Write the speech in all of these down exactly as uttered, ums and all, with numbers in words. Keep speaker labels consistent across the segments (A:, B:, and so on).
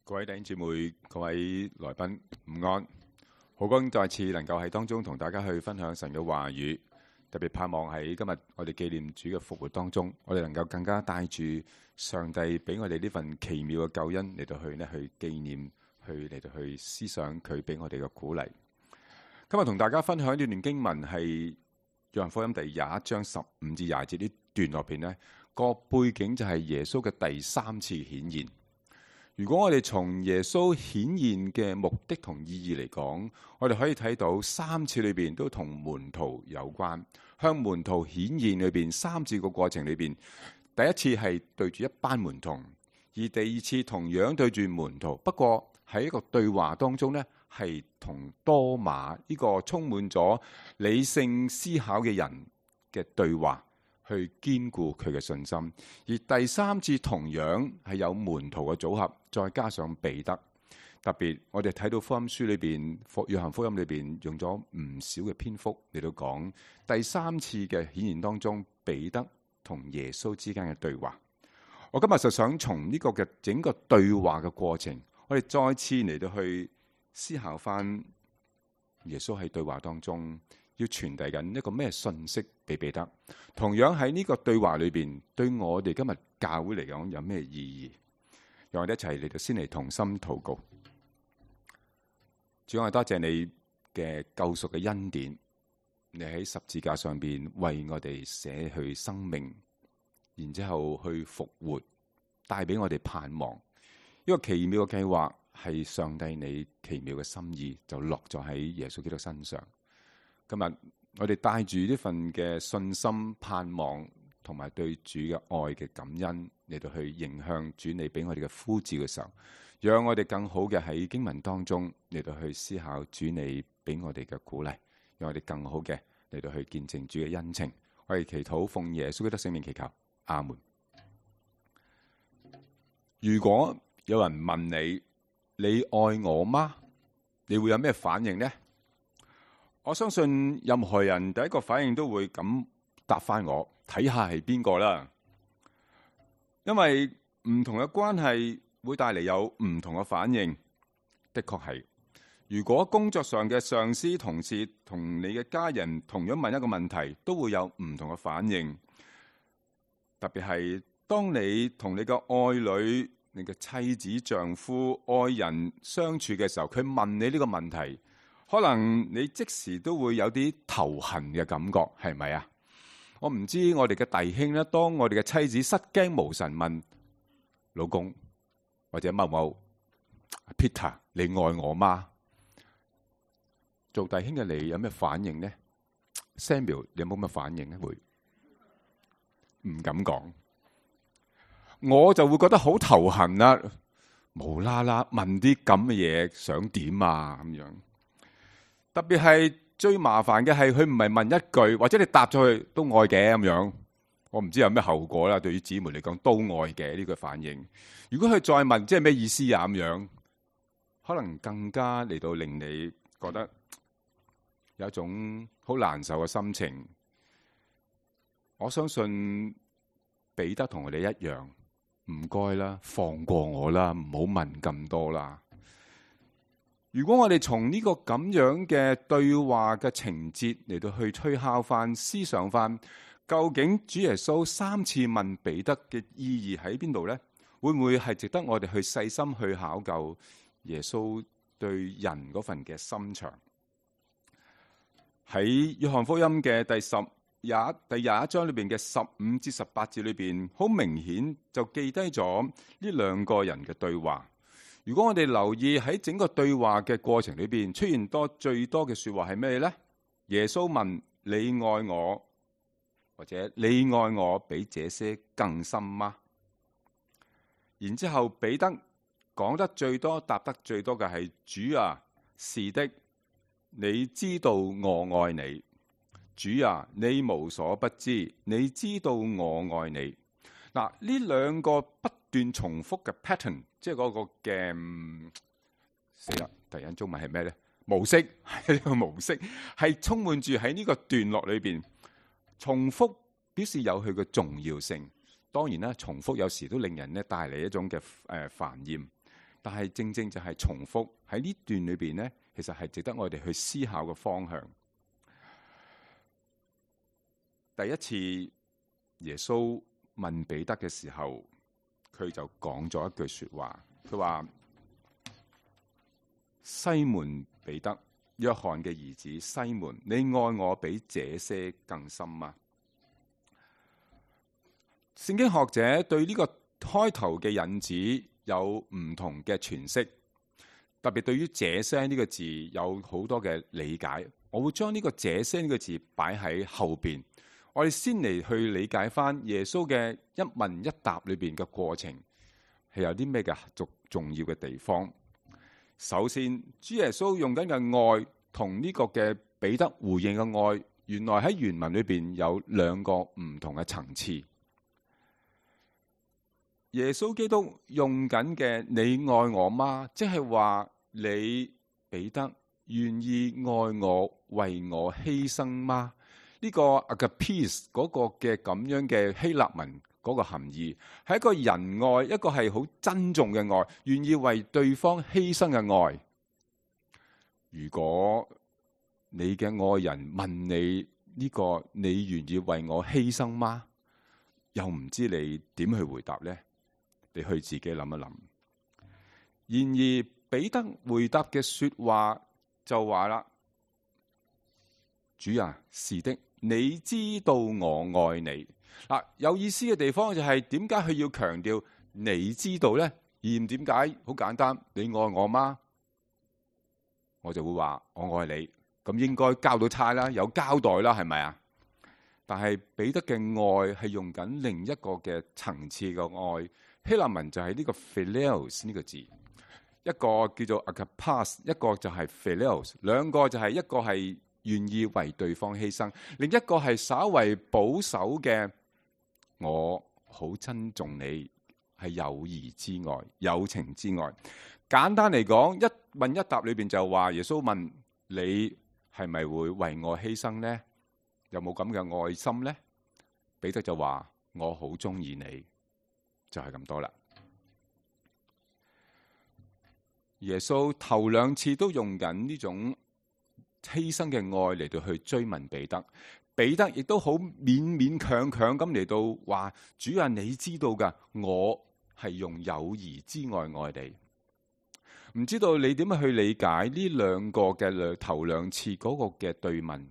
A: 各位弟兄姊妹、各位來賓午安，好高興再次能夠喺當中同大家去分享神嘅話語，特別盼望喺今日我哋紀念主嘅復活當中，我哋能夠更加帶住上帝俾我哋呢份奇妙嘅救恩嚟到去呢去紀念，去嚟到去思想佢俾我哋嘅鼓勵。今日同大家分享呢段經文係約翰福音第廿一章十五至廿節呢段落邊呢個背景就係耶穌嘅第三次顯現。如果我哋從耶穌顯現嘅目的同意義嚟講，我哋可以睇到三次裏邊都同門徒有關。向門徒顯現裏邊三次個過程裏邊，第一次係對住一班門徒，而第二次同樣對住門徒，不過喺一個對話當中呢，係同多馬呢個充滿咗理性思考嘅人嘅對話，去堅固佢嘅信心。而第三次同樣係有門徒嘅組合，再加上彼得。特別我哋睇到福音書裏邊，約翰福音裏邊用咗唔少嘅篇幅嚟到講第三次嘅顯現當中，彼得同耶穌之間嘅對話。我今日就想從呢個嘅整個對話嘅過程，我哋再次嚟到去思考翻耶穌喺對話當中要傳遞緊一個咩信息俾彼得。同樣喺呢個對話裏邊，對我哋今日教會嚟講有咩意義？讓我哋一齊嚟到先嚟同心禱告。主，我多謝你嘅救贖嘅恩典，你喺十字架上邊為我哋捨去生命，然之後去復活，帶俾我哋盼望。呢個奇妙嘅計劃係上帝你奇妙嘅心意，就落咗喺耶穌基督身上。今日我哋帶住呢份嘅信心、盼望同埋對主嘅愛嘅感恩嚟到去迎向主你俾我哋嘅呼召嘅時候，讓我哋更好嘅喺經文當中嚟到去思考主你俾我哋嘅鼓勵，讓我哋更好嘅嚟到去見證主嘅恩情。我哋祈禱奉耶穌基督聖名祈求，阿門。如果有人問你，你愛我嗎？你會有咩反應呢？我相信任何人第一個反應都會咁答翻我，睇下係邊個啦。因為唔同嘅關係會帶嚟有唔同嘅反應，的確係。如果工作上嘅上司、同事同你嘅家人同樣問一個問題，都會有唔同嘅反應。特別係當你同你嘅愛侶、你嘅妻子、丈夫、愛人相處嘅時候，佢問你呢個問題，可能你即時都會有啲頭痕嘅感覺，係咪啊？我唔知我哋嘅弟兄咧，當我哋嘅妻子失驚無神問老公或者某某 Peter， 你愛我嗎？做弟兄嘅你有咩反應呢？ Samuel， 你有冇乜反應呢？會唔敢講，我就會覺得好頭痕啦，無啦啦問啲咁嘅嘢，想點啊咁樣。特別係最麻煩嘅係佢唔係問一句，或者你答咗佢都愛嘅咁樣，我唔知有咩後果啦。對於姊妹嚟講都愛嘅呢個反應。如果佢再問，即係咩意思啊咁樣，可能更加嚟到令你覺得有一種好難受嘅心情。我相信彼得同我哋一樣，唔該啦，放過我啦，唔好問咁多啦。如果我哋從呢個咁樣嘅對話嘅情節嚟到去推敲翻、思想翻，究竟主耶穌三次問彼得嘅意義喺邊度呢？會唔會係值得我哋去細心去考究耶穌對人嗰份嘅心腸？喺約翰福音嘅第十廿第廿一章裏邊嘅十五至十八節裏邊，好明顯就記低咗呢兩個人嘅對話。如果我哋留意喺整個對話嘅過程裏邊，出現多最多嘅說話係咩呢？耶穌問你愛我，或者你愛我比這些更深嗎？然之後彼得講得最多、答得最多嘅係主啊，是的，你知道我愛你。主啊，你無所不知，你知道我愛你。嗱，呢兩個不斷重複嘅 pattern， 即係嗰個嘅死啦！第一中文係咩咧？模式係一個模式，係充滿住喺呢個段落裏邊重複，表示有佢嘅重要性。當然啦，重複有時都令人咧帶嚟一種嘅誒煩厭。但係正正就係重複喺呢段裏邊呢，其實係值得我哋去思考嘅方向。第一次耶穌問彼得嘅時候，佢就講咗一句說話，佢話：西門彼得，約翰嘅兒子西門，你愛我比這些更深嗎？聖經學者對呢個開頭嘅引子有唔同嘅詮釋，特別對於這些呢個字有好多嘅理解。我會將呢個這些呢個字擺喺後邊。我哋先嚟去理解翻耶穌嘅一問一答裏邊嘅過程係有啲咩嘅重重要嘅地方。首先，主耶穌用緊嘅愛同呢個嘅彼得回應嘅愛，原來喺原文裏邊有兩個唔同嘅層次。耶穌基督用緊嘅你愛我嗎？即係話你彼得願意愛我為我犧牲嗎？呢個 agapes 嗰個嘅咁樣嘅希臘文嗰個含義，係一個仁愛，一個係好珍重嘅愛，願意為對方犧牲嘅愛。如果你嘅愛人問你呢個，你願意為我犧牲嗎？又唔知你點去回答呢？你去自己諗一諗。然而彼得回答嘅說話就話啦：主啊，是的，你知道我愛你。嗱，有意思嘅地方就係點解佢要強調你知道呢？而唔點解？好簡單，你愛我嗎？我就會話我愛你，咁應該交到差啦，有交代啦，係咪啊？但係彼得嘅愛係用緊另一個嘅層次嘅愛。希臘文就係呢個 philios 呢個字，一個叫做 agapas， 一個就係 philios， 兩個就係一個係願意為對方犧牲，另一個係稍為保守嘅，我好珍重你，係友誼之外、友情之外。簡單嚟講，一問一答裏邊就話耶穌問你係咪會為我犧牲呢？有冇咁嘅愛心呢？彼得就話我好中意你。就係咁多啦。耶穌頭兩次都用緊呢種犧牲嘅愛嚟到去追問彼得，彼得亦都好勉勉強強咁嚟到話：主啊，你知道噶，我係用友誼之愛愛你。唔知道你點樣去理解呢兩個嘅頭兩次嗰個嘅對問？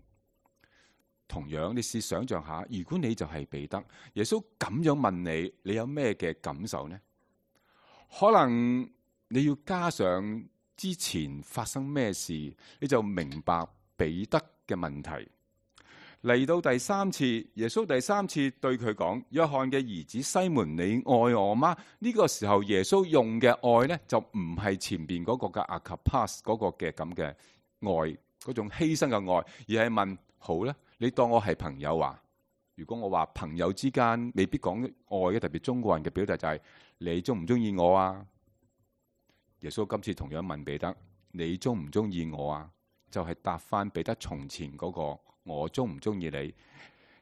A: 同樣，你試想象下，如果你就係彼得，耶穌咁樣問你，你有咩嘅感受呢？可能你要加上之前發生咩事，你就明白彼得嘅問題。嚟到第三次，耶穌第三次對佢講：約翰嘅兒子西門，你愛我嗎？呢個時候耶穌用嘅愛呢，就唔係前邊嗰個嘅 agapas 嗰個嘅咁嘅愛，嗰種犧牲嘅愛，而係問：好啦，你當我係朋友啊？如果我話朋友之間未必講愛嘅，特別中國人嘅表達就係你中唔中意我啊？耶穌今次同樣問彼得：你中唔中意我啊？就係答翻彼得從前嗰個我中唔中意你。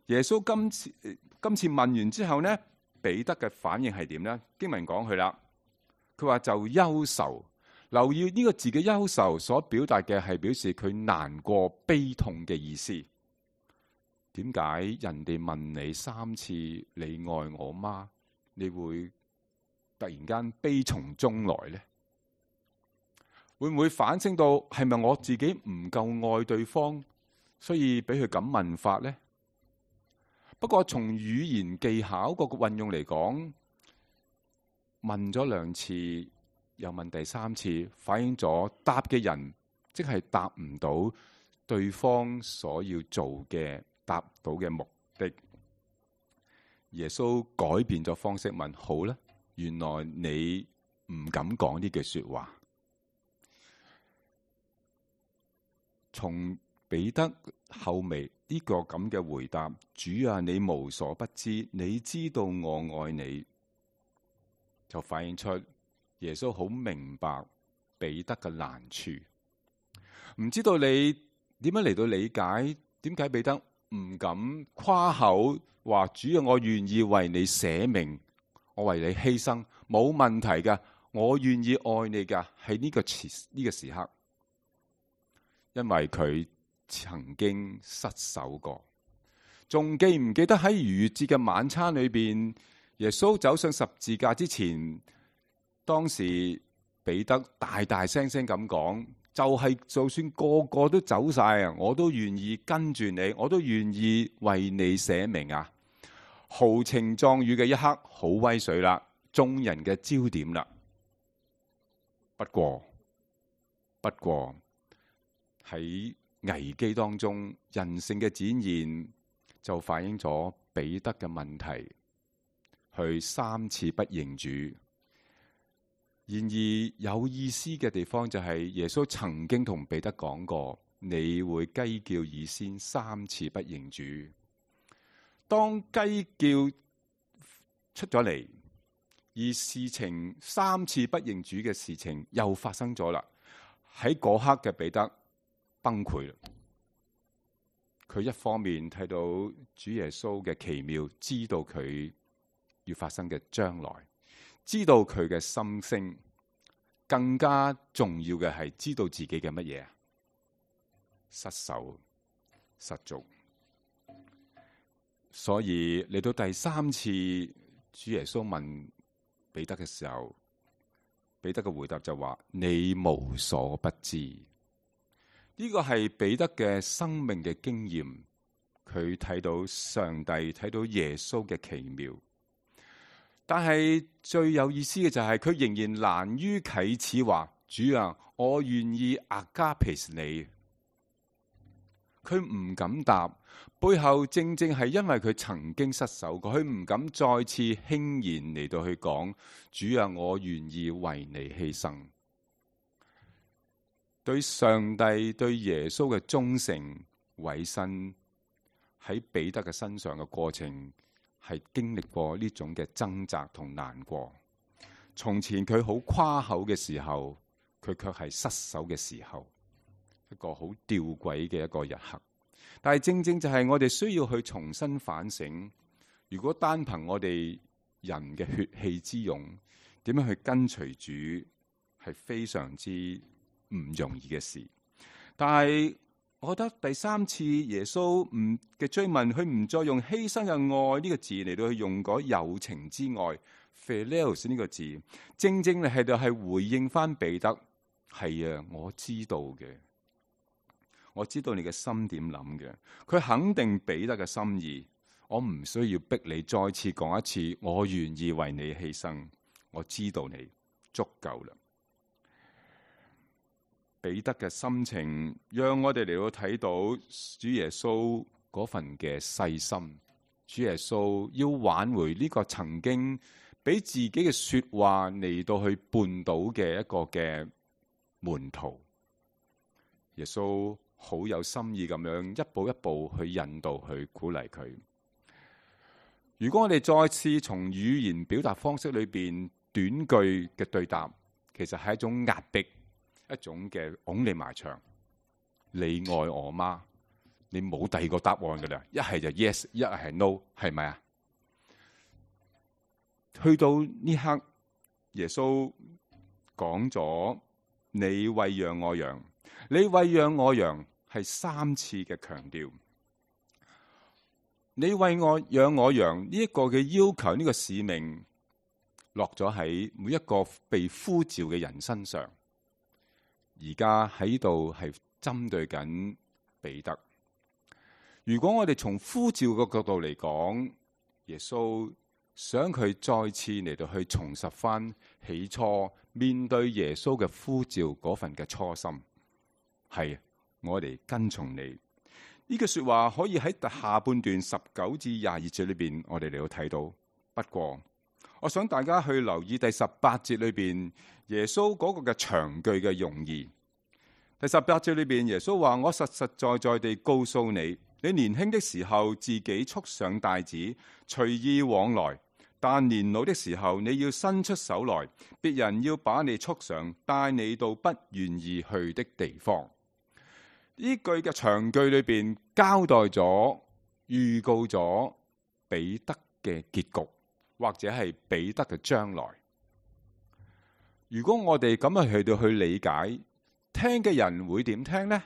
A: 耶穌今次今次問完之後呢，彼得嘅反應係點呢？經文講佢啦，佢話就憂愁。留意呢個字嘅憂愁所表達嘅係表示佢難過、悲痛嘅意思。點解人哋問你三次你愛我嗎？你會突然間悲從中來呢？會唔會反省到係咪我自己唔夠愛對方，所以俾佢咁問法呢？不過從語言技巧個運用嚟講，問咗兩次又問第三次，反映咗答嘅人即係答唔到對方所要做嘅答到嘅目的。耶穌改變咗方式問：好啦，原來你唔敢講呢句說話。從彼得後尾呢個咁嘅回答：主啊，你無所不知，你知道我愛你，就反映出耶穌好明白彼得嘅難處。唔知道你點樣嚟到理解點解彼得唔敢誇口話：主啊，我願意為你捨命，我為你犧牲，冇問題嘅，我願意愛你噶，喺呢個時呢個時刻，因為佢曾經失手過。仲記唔記得喺逾越節嘅晚餐裏邊，耶穌走上十字架之前，當時彼得大大聲聲咁講，就係、是、就算個個都走晒啊，我都願意跟住你，我都願意為你捨命啊！豪情壯語嘅一刻，好威水啦，眾人嘅焦點啦。不過，不過喺危機當中，人性嘅展現就反映咗彼得嘅問題，去三次不認主。然而有意思嘅地方就係耶穌曾經同彼得講過，你會雞叫以先三次不認主。當雞叫出咗嚟，而事情三次不認主嘅事情又發生咗啦。喺嗰刻嘅彼得崩潰啦。佢一方面睇到主耶穌嘅奇妙，知道佢要發生嘅將來，知道佢嘅心聲，更加重要嘅係知道自己嘅乜嘢啊？失手失足。所以嚟到第三次，主耶穌問彼得嘅時候，彼得嘅回答就話：你無所不知。呢個係彼得嘅生命嘅經驗，佢睇到上帝，睇到耶穌嘅奇妙。但係最有意思嘅就係佢仍然難於啟齒話：主啊，我願意阿加皮你。佢唔敢答，背後正正係因為佢曾經失手過，佢唔敢再次輕言嚟到去講：主啊，我願意為你犧牲。對上帝、對耶穌嘅忠誠委身，喺彼得嘅身上嘅過程，係經歷過呢種嘅掙扎同難過。從前佢好誇口嘅時候，佢卻係失手嘅時候，一個好吊詭嘅一個日刻。但係正正就係我哋需要去重新反省，如果單憑我哋人嘅血氣之勇，點樣去跟隨主，係非常之唔容易嘅事。但係我覺得第三次耶穌唔嘅追問，佢唔再用犧牲嘅愛呢個字嚟到去用嗰友情之愛 philios 呢個字，正正係就係回應翻彼得，係啊，我知道嘅，我知道你嘅心點諗嘅。佢肯定彼得嘅心意，我唔需要逼你再次講一次，我願意為你犧牲，我知道你足夠啦。彼得嘅心情，讓我哋嚟到睇到主耶穌嗰份嘅細心。主耶穌要挽回呢個曾經俾自己嘅說話嚟到去絆倒嘅一個嘅門徒。耶穌好有心意咁樣一步一步去引導，去鼓勵佢。如果我哋再次從語言表達方式裏邊短句嘅對答，其實係一種壓迫。一種嘅拱你埋牆，你愛我嗎？你冇第二個答案噶啦，一係就 yes， 一係 no， 係咪啊？去到呢刻，耶穌講咗你餵養我羊，你餵養我羊係三次嘅強調。你餵我養我羊呢一個嘅要求，呢個使命落咗喺每一個被呼召嘅人身上。而家喺度係針對緊彼得。如果我哋從呼召嘅角度嚟講，耶穌想佢再次嚟到去重拾翻起初面對耶穌嘅呼召嗰份嘅初心，係我哋跟從你。呢句說話可以喺下半段十九至廿二節裏邊，我哋嚟到睇到。不過，我想大家去留意第十八節裏邊耶穌嗰個嘅長句嘅用意。第十八節裏邊耶穌話：我實實在在地告訴你，你年輕的時候自己束上帶子，隨意往來；但年老的時候，你要伸出手來，別人要把你束上，帶你到不願意去的地方。呢句嘅長句裏邊交代咗、預告咗彼得嘅結局，或者係彼得嘅將來。如果我哋咁樣去到去理解，聽嘅人會點聽呢？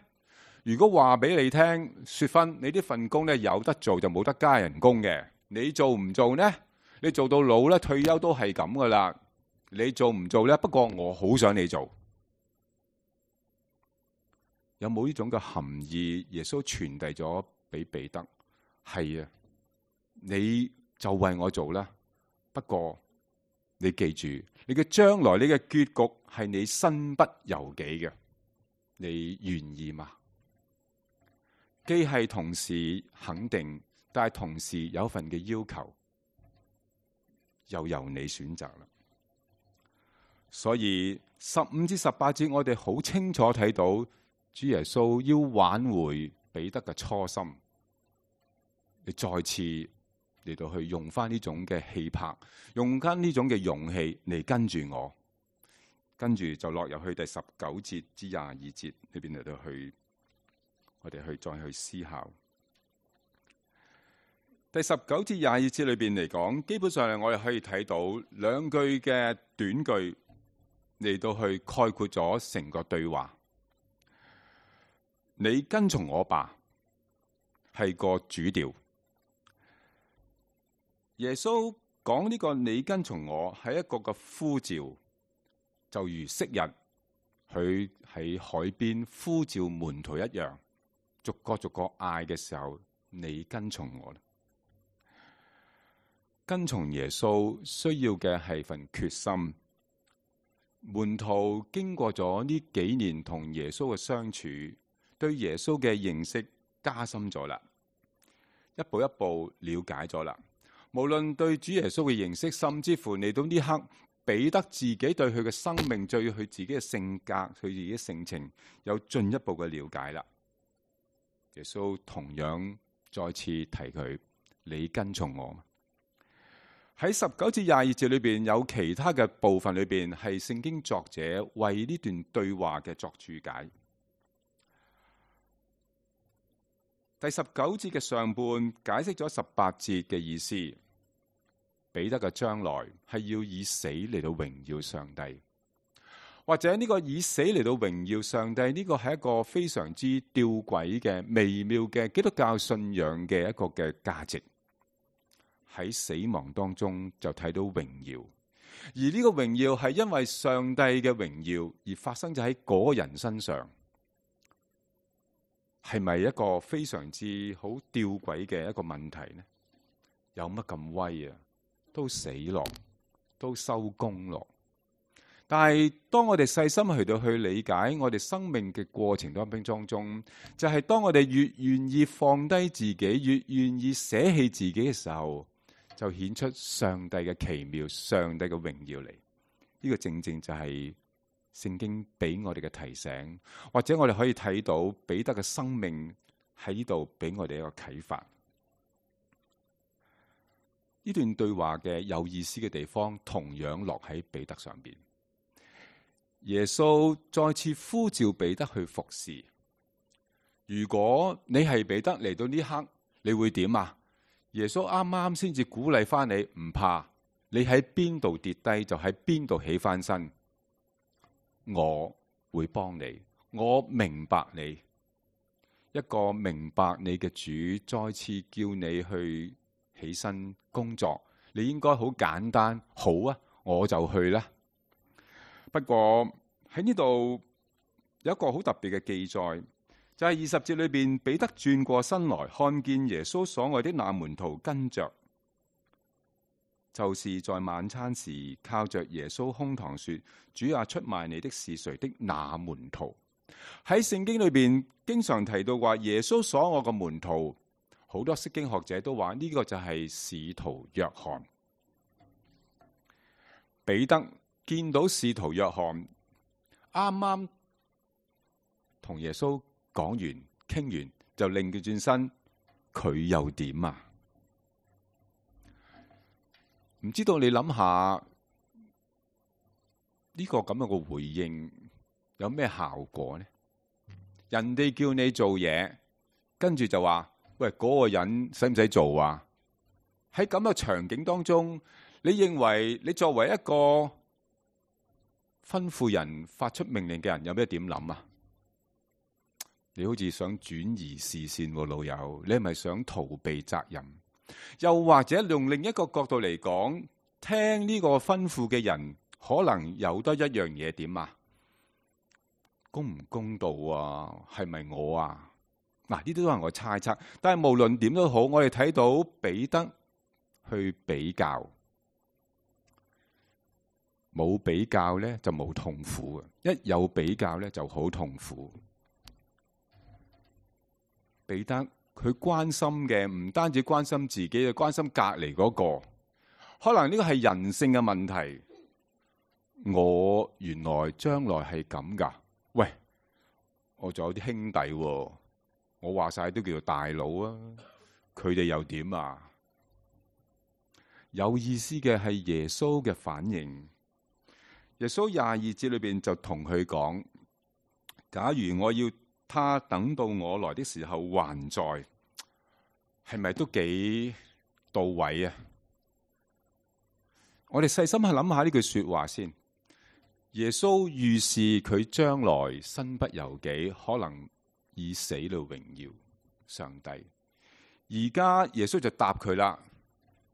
A: 如果話俾你聽，雪芬，你呢份工咧有得做就冇得加人工嘅，你做唔做呢？你做到老咧，退休都係咁噶啦。你做唔做呢？不過我好想你做。有冇呢種嘅含義？耶穌傳遞咗俾彼得，係啊，你就為我做啦。不過你記住，你嘅將來，你嘅結局係你身不由己嘅，你願意嗎？既係同時肯定，但係同時有份嘅要求，又由你選擇啦。所以十五至十八節，我哋好清楚睇到主耶穌要挽回彼得嘅初心，你再次嚟到去用翻呢種嘅氣魄，用翻呢種嘅勇氣嚟跟住我，跟住就落入去第十九節至廿二節裏邊嚟到去。我哋去再去思考第十九至廿二節裏邊嚟講，基本上我哋可以睇到兩句嘅短句嚟到去概括咗成個對話。你跟從我吧，係個主調。耶穌講呢個你跟從我係一個個呼召，就如昔日佢喺海邊呼召門徒一樣。逐個逐個嗌嘅時候，你跟從我啦。跟從耶穌需要嘅係份決心。門徒經過咗呢幾年同耶穌嘅相處，對耶穌嘅認識加深咗啦，一步一步了解咗啦。無論對主耶穌嘅認識，甚至乎嚟到呢刻，彼得自己對佢嘅生命，對佢自己嘅性格，佢自己嘅性情，有進一步嘅了解啦。耶穌同樣再次提佢，你跟從我。喺十九至廿二節裏邊有其他嘅部分裏邊，係聖經作者為呢段對話嘅作注解。第十九節嘅上半解釋咗十八節嘅意思，彼得嘅將來係要以死嚟到榮耀上帝。或者呢個以死嚟到榮耀上帝，呢個係一個非常之吊詭嘅微妙嘅基督教信仰嘅一個嘅價值。喺死亡當中就睇到榮耀，而呢個榮耀係因為上帝嘅榮耀而發生咗喺嗰個人身上，係咪一個非常之好吊詭嘅一個問題呢？有乜咁威啊？都死落，都收工落。但係當我哋細心去到去理解我哋生命嘅過程當中，就係當我哋越願意放低自己，越願意捨棄自己嘅時候，就顯出上帝嘅奇妙，上帝嘅榮耀嚟。呢個正正就係聖經俾我哋嘅提醒，或者我哋可以睇到彼得嘅生命喺呢度俾我哋一個啟發。呢段對話嘅有意思嘅地方，同樣落喺彼得上邊。耶穌再次呼召彼得去服侍。如果你係彼得嚟到呢刻，你會點啊？耶穌啱啱先至鼓勵翻你，唔怕，你喺邊度跌低就喺邊度起翻身。我會幫你，我明白你。一個明白你嘅主再次叫你去起身工作，你應該好簡單，好啊，我就去啦。不過喺呢度有一個好特別嘅記載，就係二十節裏邊，彼得轉過身來，看見耶穌所愛的那門徒跟着，就是在晚餐時靠着耶穌胸膛說：主啊，出賣你的是誰的那門徒。喺聖經裏邊經常提到話耶穌所愛嘅門徒，好多釋經學者都話呢個就係使徒約翰。彼得見到使徒約翰啱啱同耶穌講完傾完，就擰佢轉身，佢又點啊？唔知道你諗下呢個咁樣嘅回應有咩效果呢？人哋叫你做嘢，跟住就話：喂，嗰個人使唔使做啊？喺咁嘅場景當中，你認為你作為一個吩咐人發出命令嘅人有咩點諗啊？你好似想轉移視線喎，老友，你係咪想逃避責任？又或者用另一個角度嚟講，聽呢個吩咐嘅人可能有得一樣嘢點啊？公唔公道啊？係咪我啊？嗱，呢啲都係我猜測。但係無論點都好，我哋睇到彼得去比較，冇比較咧就冇痛苦嘅，一有比較咧就好痛苦。彼得佢關心嘅唔單止關心自己，又關心隔籬嗰個。可能呢個係人性嘅問題。我原來將來係咁噶。喂，我仲有啲兄弟喎，我話晒都叫做大佬啊，佢哋又點啊？有意思嘅係耶穌嘅反應。耶穌廿二節裏邊就同佢講：假如我要他等到我來的時候還在，係咪都幾到位啊？我哋細心去諗下呢句說話先。耶穌預示佢將來身不由己，可能以死嚟榮耀上帝。而家耶穌就答佢啦：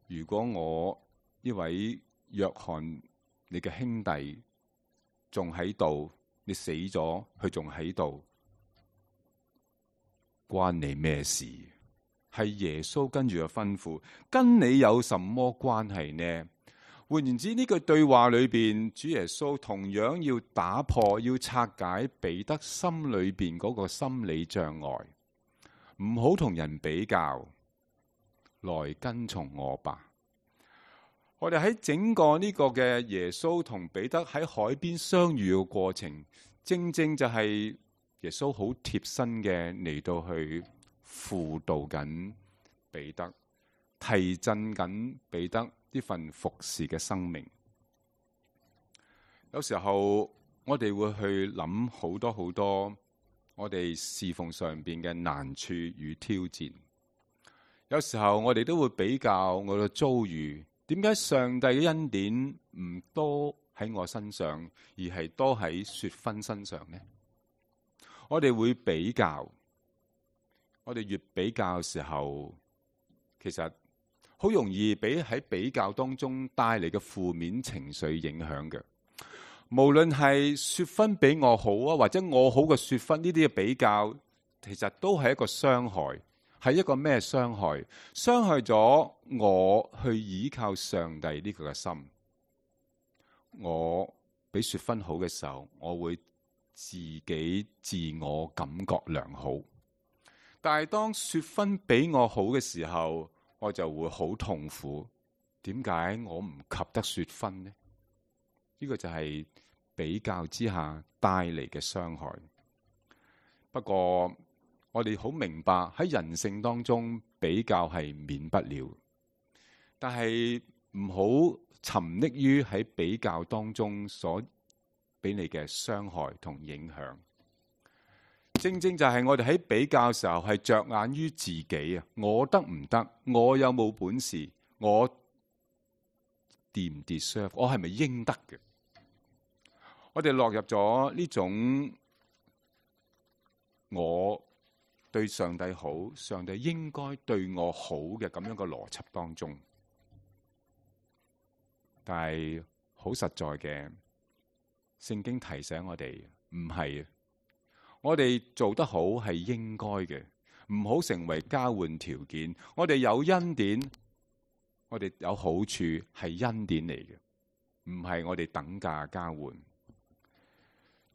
A: 如果我呢位約翰你嘅兄弟仲喺度，你死咗，佢仲喺度，關你咩事？係耶穌跟住嘅吩咐，跟你有什麼關係呢？換言之，呢句對話裏邊，主耶穌同樣要打破、要拆解彼得心裏邊嗰個心理障礙，唔好同人比較，來跟從我吧。我哋喺整個呢個嘅耶穌同彼得喺海邊相遇嘅過程，正正就係耶穌好貼身嘅嚟到去輔導緊彼得，提振緊彼得呢份服侍嘅生命。有時候我哋會去諗好多好多我哋侍奉上邊嘅難處與挑戰。有時候我哋都會比較我嘅遭遇，點解上帝嘅恩典唔多喺我身上，而係多喺雪芬身上呢？我哋會比較，我哋越比較嘅時候，其實好容易俾喺比較當中帶嚟嘅負面情緒影響嘅。無論係雪芬比我好啊，或者我好嘅雪芬，呢啲嘅比較，其實都係一個傷害。係一個咩傷害？傷害咗我去依靠上帝呢個嘅心。我比雪芬好嘅時候，我會自己自我感覺良好。但係當雪芬比我好嘅時候，我就會好痛苦。點解我唔及得雪芬呢？呢個就係比較之下帶嚟嘅傷害。不過我哋好明白喺人性當中比較係免不了，但係唔好沉溺於喺比較當中所俾你嘅傷害同影響。正正就係我哋喺比較嘅時候係着眼於自己啊，我得唔得？我有冇本事？我 deserve？我係咪應得嘅？我哋落入咗呢種我對上帝好，上帝應該對我好嘅咁樣嘅邏輯當中，但係好實在嘅，聖經提醒我哋唔係，我哋做得好係應該嘅，唔好成為交換條件。我哋有恩典，我哋有好處係恩典嚟嘅，唔係我哋等價交換。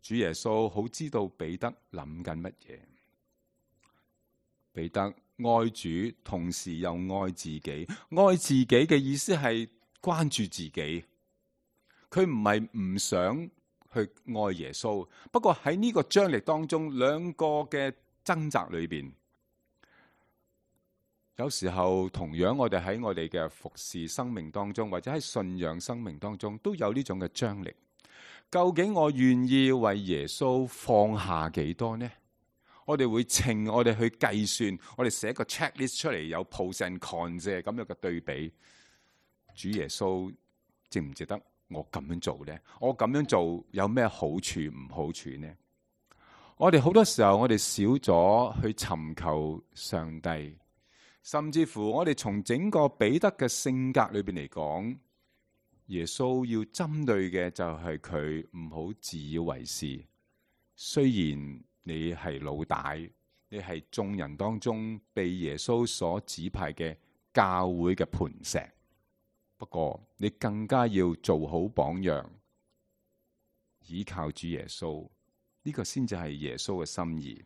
A: 主耶穌好知道彼得諗緊乜嘢。彼得愛主，同時又愛自己。愛自己嘅意思係關注自己，佢唔係唔想去愛耶穌。不過喺呢個張力當中，兩個嘅掙扎裏邊，有時候同樣我哋喺我哋嘅服侍生命當中，或者喺信仰生命當中，都有呢種嘅張力。究竟我願意為耶穌放下幾多呢？我哋會稱，我哋去計算，我哋寫個 checklist 出嚟，有 pros and cons 咁樣嘅對比。主耶穌值唔值得我咁樣做呢？我咁樣做有咩好處唔好處呢？我哋好多時候我哋少咗去尋求上帝，甚至乎我哋從整個彼得嘅性格裏邊嚟講，耶穌要針對嘅就係佢唔好自以為是。雖然你係老大，你係眾人當中被耶穌所指派嘅教會嘅磐石，不過你更加要做好榜樣，倚靠主耶穌。呢個先至係耶穌嘅心意。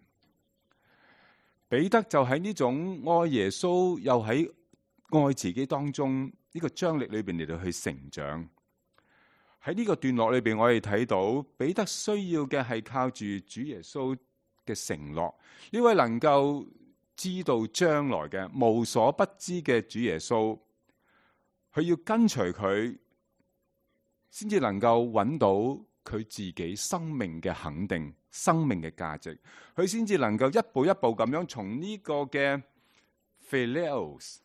A: 彼得就喺呢種愛耶穌又喺愛自己當中呢個張力裏邊嚟到去成長。喺呢個段落裏邊，我哋睇到彼得需要嘅係靠住主耶穌嘅承諾，呢位能夠知道將來嘅無所不知嘅主耶穌，佢要跟隨佢，先至能夠揾到佢自己生命嘅肯定、生命嘅價值，佢先至能夠一步一步咁樣從呢個嘅 Philios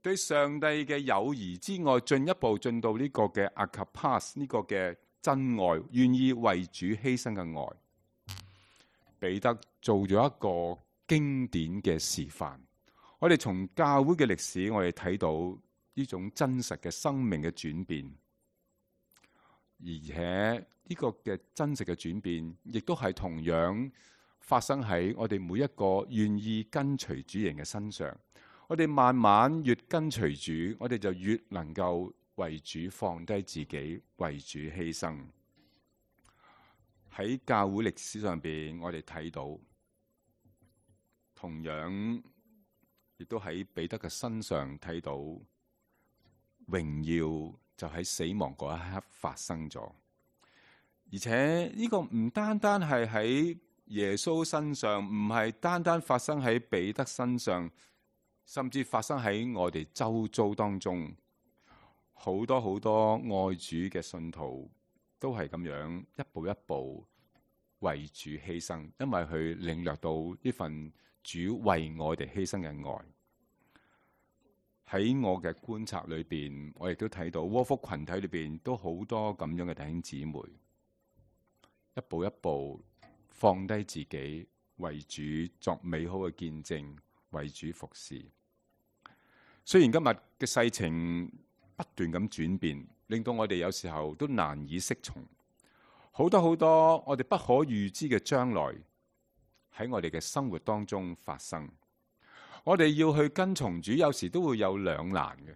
A: 對上帝嘅友誼之外，進一步進到呢個嘅 Agapas 呢個嘅真愛，願意為主犧牲嘅愛。彼得做咗一個經典嘅示範。我哋從教會嘅歷史，我哋睇到呢種真實嘅生命嘅轉變。而且呢個嘅真實嘅轉變，亦都係同樣發生喺我哋每一個願意跟隨主人嘅身上。我哋慢慢越跟隨主，我哋就越能夠為主放低自己，為主犧牲。喺教會歷史上邊，我哋睇到同樣，亦都喺彼得嘅身上睇到榮耀。就喺死亡嗰一刻發生咗，而且呢個唔單單係喺耶穌身上，唔係單單發生喺彼得身上，甚至發生喺我哋周遭當中，好多好多愛主嘅信徒都係咁樣一步一步為主犧牲，因為佢領略到呢份主為我哋犧牲嘅愛。喺我嘅觀察裏邊，我亦都睇到窩福群體裏邊都好多咁樣嘅弟兄姊妹，一步一步放低自己，為主作美好嘅見證，為主服侍。雖然今日嘅世情不斷咁轉變，令到我哋有時候都難以適從，好多好多我哋不可預知嘅將來喺我哋嘅生活當中發生。我哋要去跟從主，有時都會有兩難嘅，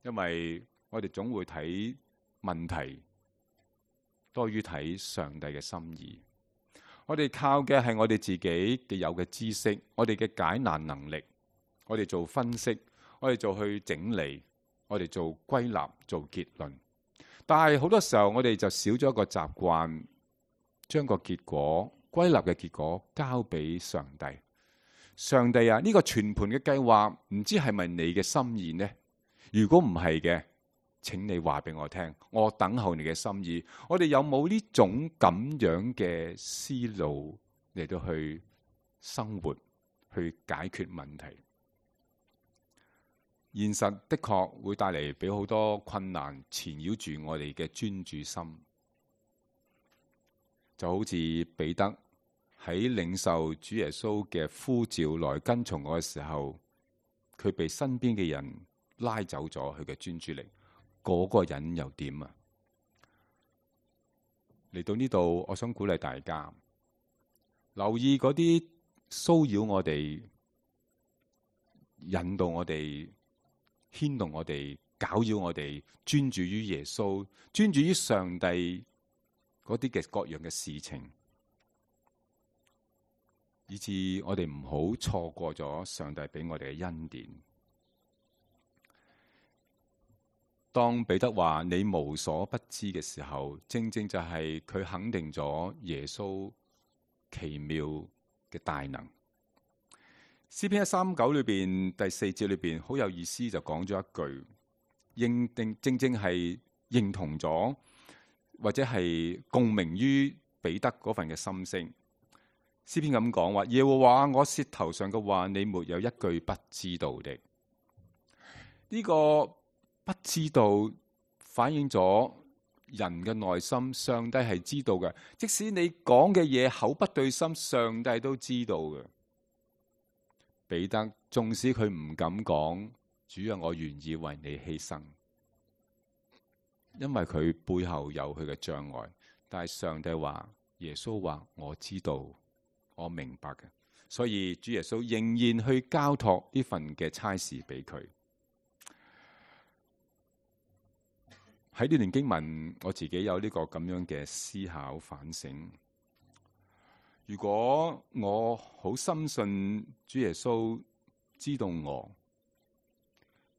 A: 因為我哋總會睇問題多於睇上帝嘅心意。我哋靠嘅係我哋自己嘅有嘅知識，我哋嘅解難能力，我哋做分析，我哋做去整理，我哋做歸納，做結論。但係好多時候我哋就少咗一個習慣，將個結果歸納嘅結果交俾上帝。上帝啊，呢個全盤嘅計劃唔知係咪你嘅心意呢？如果唔係嘅，請你話俾我聽，我等候你嘅心意。我哋有冇呢種咁樣嘅思路嚟到去生活，去解決問題？現實的確會帶嚟俾好多困難纏繞住我哋嘅專注心，就好似彼得喺領受主耶穌嘅呼召來跟從我嘅時候，佢被身邊嘅人拉走咗佢嘅專注力，嗰個人又點啊？嚟到呢度，我想鼓勵大家留意嗰啲騷擾我哋、引導我哋、牽動我哋、攪擾我哋，專注於耶穌、專注於上帝嗰啲嘅各樣嘅事情，以致我哋唔好錯過咗上帝俾我哋嘅恩典。當彼得話你無所不知嘅時候，正正就係佢肯定咗耶穌奇妙嘅大能。詩篇一三九裏邊第四節裏邊好有意思，就講咗一句，認定正正係認同咗或者係共鳴於彼得嗰份嘅心聲。詩篇咁講話，耶和華我舌頭上嘅話，你沒有一句不知道的。呢、這個不知道反映咗人嘅內心，上帝係知道嘅。即使你講嘅嘢口不對心，上帝都知道嘅。彼得縱使佢唔敢講，主啊，我願意為你犧牲，因為佢背後有佢嘅障礙。但係上帝話，耶穌話我知道，我明白嘅。所以主耶穌仍然去交託呢份嘅差事俾佢。喺呢段經文，我自己有呢個咁樣嘅思考反省。如果我好深信主耶穌知道我，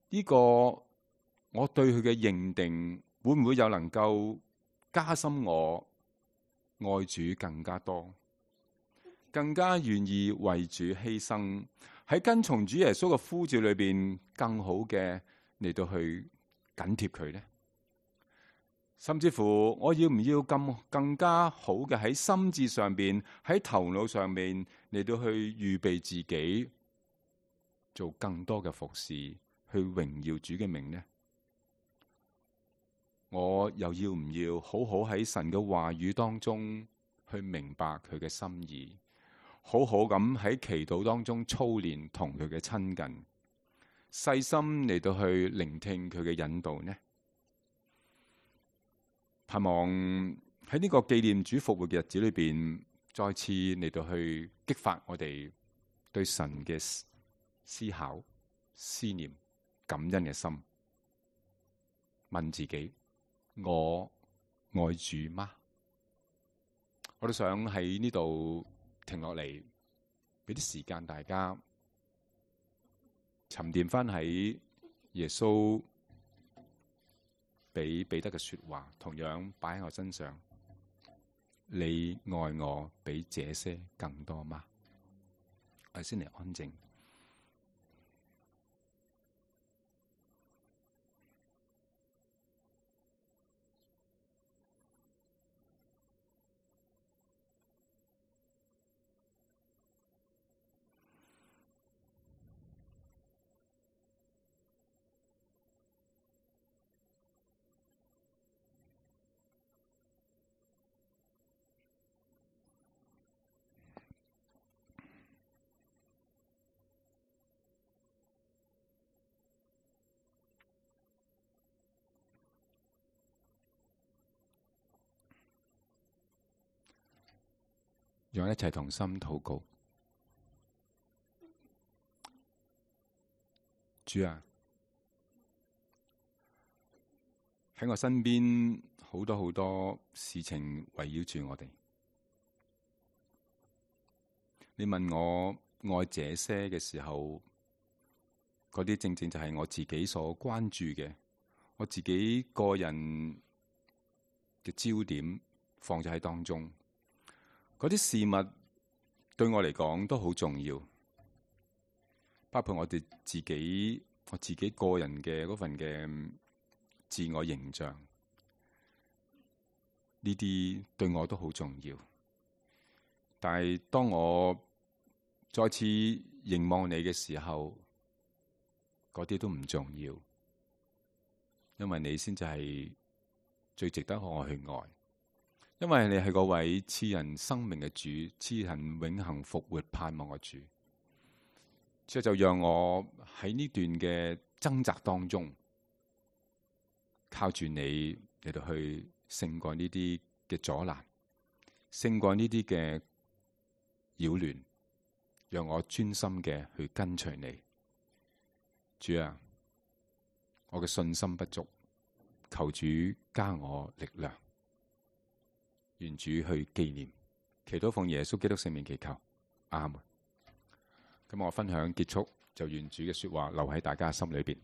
A: 呢個我對佢嘅認定會唔會又能夠加深我愛主更加多，更加願意為主犧牲，喺跟從主耶穌嘅呼召裏邊更好嘅嚟到去緊貼佢呢？甚至乎我要唔要咁更加好嘅喺心智上邊，喺頭腦上面嚟到去預備自己做更多嘅服侍，去榮耀主嘅名呢？我又要唔要好好喺神嘅話語當中去明白佢嘅心意，好好咁喺祈禱當中操練同佢嘅親近，細心嚟到去聆聽佢嘅引導呢？盼望喺呢個紀念主復活嘅日子裏邊，再次嚟到去激發我哋對神嘅思考、思念、感恩嘅心。問自己：我愛主嗎？我都想喺呢度停落嚟，俾啲時間大家沉澱翻喺耶穌俾彼得嘅說話，同樣擺喺我身上。你愛我比這些更多嗎？我哋先嚟安靜。讓一齊同心禱告。主啊，喺我身邊好多好多事情圍繞住我哋。你問我愛這些嘅時候，嗰啲正正就係我自己所關注嘅，我自己個人嘅焦點放咗喺當中。嗰啲事物對我嚟講都好重要，包括我哋自己，我自己個人嘅嗰份嘅自我形象，呢啲對我都好重要。但係當我再次凝望你嘅時候，嗰啲都唔重要，因為你先至係最值得我去愛。因為你係嗰位賜人生命嘅主，賜人永恆復活盼望嘅主，所以就讓我喺呢段嘅掙扎當中，靠住你嚟到去勝過呢啲嘅阻攔，勝過呢啲嘅擾亂，讓我專心嘅去跟隨你。主啊，我嘅信心不足，求主加我力量。願主去紀念，祈禱奉耶穌基督聖名祈求，阿門。咁我分享結束，就願主嘅說話留喺大家心裏邊。